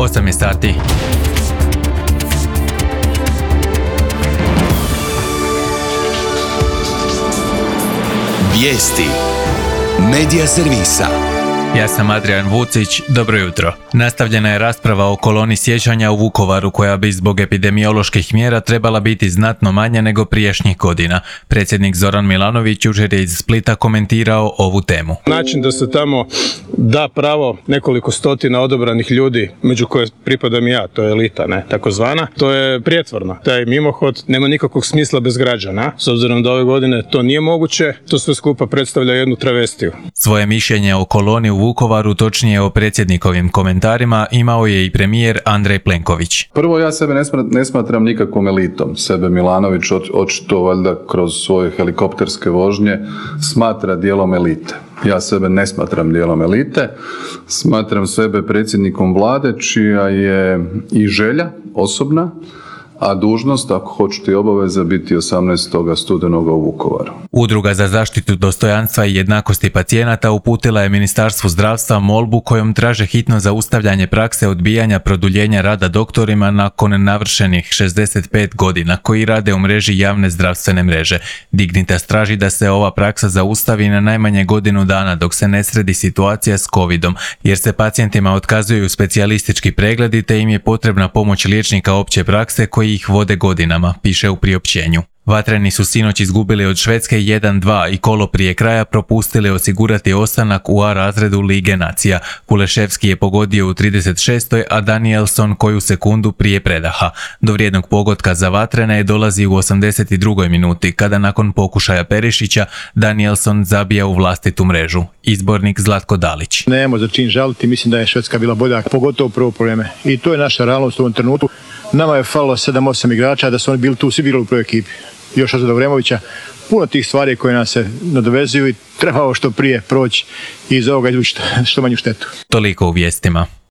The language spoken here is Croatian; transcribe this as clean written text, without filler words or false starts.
8 je sati. Vijesti Medija servisa. Ja sam Adrian Vucić, dobro jutro. Nastavljena je rasprava o koloni sjećanja u Vukovaru koja bi zbog epidemioloških mjera trebala biti znatno manja nego prijašnjih godina. Predsjednik Zoran Milanović jučer je iz Splita komentirao ovu temu. Način da se tamo da pravo nekoliko stotina odabranih ljudi, među koje pripadam i ja, to je elita, ne, takozvana, to je prijetvorno. Taj mimohod nema nikakvog smisla bez građana. S obzirom da ove godine to nije moguće, to sve skupa predstavlja jednu travestiju. Svoje mišljenje o koloni u Vukovaru, točnije o predsjednikovim komentarima, imao je i premijer Andrej Plenković. Prvo, ja sebe ne smatram nikakvom elitom. Sebe Milanović očito valjda kroz svoje helikopterske vožnje smatra dijelom elite. Ja sebe ne smatram dijelom elite, smatram sebe predsjednikom vlade čija je i želja osobna, a dužnost, ako hoćete i obaveza, biti 18. studenoga u Vukovaru. Udruga za zaštitu dostojanstva i jednakosti pacijenata uputila je Ministarstvu zdravstva molbu kojom traže hitno zaustavljanje prakse odbijanja produljenja rada doktorima nakon navršenih 65 godina koji rade u mreži javne zdravstvene mreže. Dignitas traži da se ova praksa zaustavi na najmanje godinu dana dok se ne sredi situacija s covidom, jer se pacijentima otkazuju specijalistički pregledi te im je potrebna pomoć liječnika opće prakse koji ih vode godinama, piše u priopćenju. Vatreni su sinoć izgubili od Švedske 1-2 i kolo prije kraja propustili osigurati ostanak u A razredu Lige nacija. Kuleševski je pogodio u 36. a Danielson koju sekundu prije predaha. Do vrijednog pogotka za Vatrene dolazi u 82. minuti, kada nakon pokušaja Perišića Danielson zabija u vlastitu mrežu. Izbornik Zlatko Dalić. Nemamo za čin žaliti, mislim da je Švedska bila bolja, pogotovo prvo vrijeme. I to je naša realnost u ovom trenutku. Nama je falilo 7-8 igrača, da su oni bili tu, svi bili u prvoj ekipi. Još od Vremovića, puno tih stvari koje nas se nadovezuju i trebao što prije proći i iz ovoga izvući što manju štetu. Toliko u vijestima.